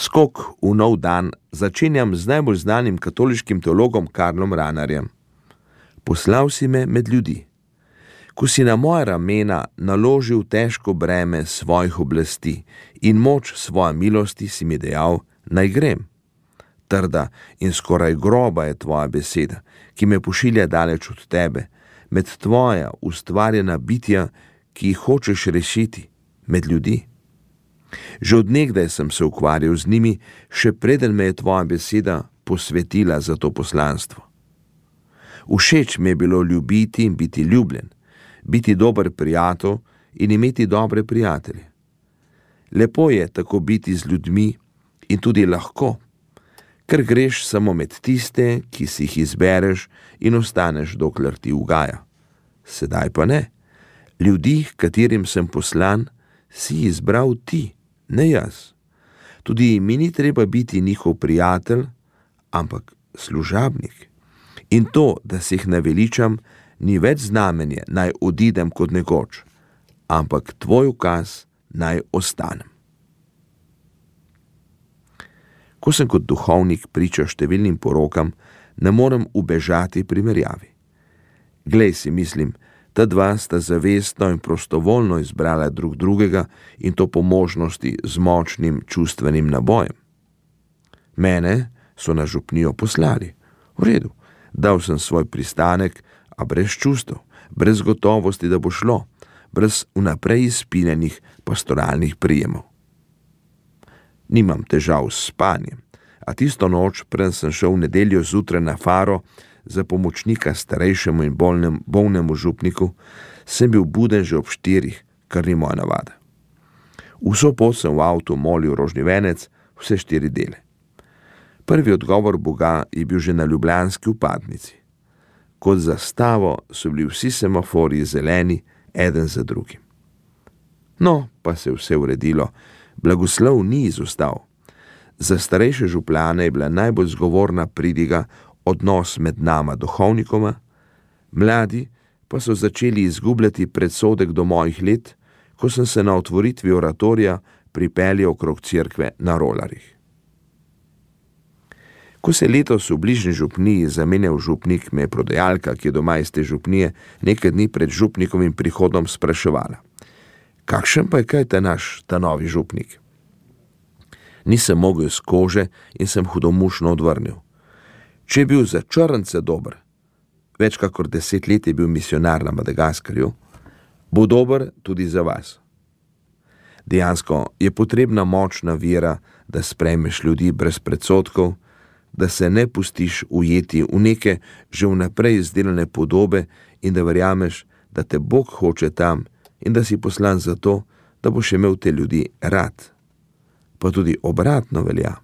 Skok v nov dan začenjam z najbolj znanim katoliškim teologom Karlom Rahnerjem. Poslal si me med ljudi. Ko si na moja ramena naložil težko breme svojih oblasti in moč svoje milosti, si mi dejal, naj grem. Trda in skoraj groba je tvoja beseda, ki me pošilja daleč od tebe, med tvoja ustvarjena bitja, ki jih hočeš rešiti, med ljudi. Že od nekdaj sem se ukvarjal z njimi, še preden me je tvoja beseda posvetila za to poslanstvo. Všeč mi je bilo ljubiti in biti ljubljen, biti dober prijatelj in imeti dobre prijatelje. Lepo je tako biti z ljudmi in tudi lahko, ker greš samo med tiste, ki si jih izbereš in ostaneš, dokler ti ugaja. Sedaj pa ne. Ljudi, katerim sem poslan, si izbral ti, ne jaz. Tudi mi ni treba biti njihov prijatelj, ampak služabnik. In to, da se jih naveličam, ni več znamenje, naj odidem kot nekoč, ampak tvoj ukaz, naj ostanem. Ko sem kot duhovnik priča številnim porokam, ne morem ubežati primerjavi. Glej, si mislim, ta dva sta zavestno in prostovoljno izbrala drug drugega in to po možnosti z močnim čustvenim nabojem. Mene so na župnijo poslali. V redu, dal sem svoj pristanek, a brez čustev, brez gotovosti, da bo šlo, brez vnaprej izpiljenih pastoralnih prijemov. Nimam težav s spanjem, a tisto noč, preden sem šel v nedeljo zjutraj na faro za pomočnika starejšemu in bolnemu župniku, sem bil buden že ob 4, kar ni moja navada. Vso pot sem v avtu molil rožni venec, vse 4 dele. Prvi odgovor Boga je bil že na ljubljanski vpadnici. Kot zastavo so bili vsi semaforji zeleni, eden za drugim. No, pa se je vse uredilo. Blagoslov ni izostal. Za starejše župljane je bila najbolj zgovorna pridiga odnos med nama duhovnikoma, mladi pa so začeli izgubljati predsodek do mojih let, ko sem se na otvoritvi oratorija pripeljal okrog cerkve na rolarjih. Ko se letos v bližnji župniji zamenjal župnik, me je prodajalka, ki je doma iz te župnije, nekaj dni pred župnikovim prihodom spraševala: kakšen pa je kaj ta novi župnik? Nisem mogel iz kože in sem hudomušno odvrnil: če je bil za črnce dober, več kakor 10 let je bil misionar na Madagaskarju, bo dober tudi za vas. Dejansko je potrebna močna vera, da sprejmeš ljudi brez predsodkov, da se ne pustiš ujeti v neke že vnaprej izdelane podobe in da verjameš, da te Bog hoče tam in da si poslan zato, da boš imel te ljudi rad. Pa tudi obratno velja.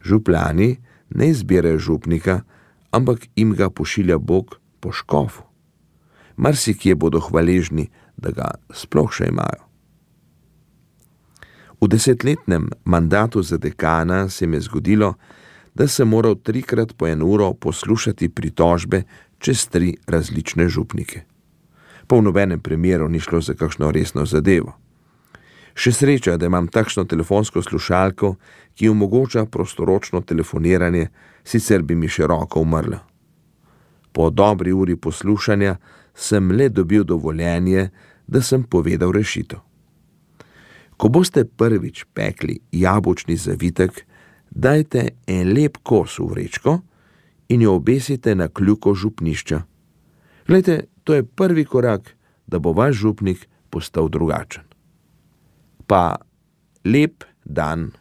Župljani ne izbirajo župnika, ampak jim ga pošilja Bog po škofu. Marsikje bodo hvaležni, da ga sploh še imajo. V 10-letnem mandatu za dekana se mi je zgodilo, da sem moral 3-krat po 1 uro poslušati pritožbe čez 3 različne župnike. Pa v nobenem primeru ni šlo za kakšno resno zadevo. Še sreča, da imam takšno telefonsko slušalko, ki omogoča prostoročno telefoniranje, sicer bi mi še roka umrla. Po dobri uri poslušanja sem le dobil dovoljenje, da sem povedal rešitev. Ko boste prvič pekli jabolčni zavitek, dajte en lep kos v vrečko in jo obesite na kljuko župnišča. Glejte, to je prvi korak, da bo vaš župnik postal drugačen. Pa lep dan.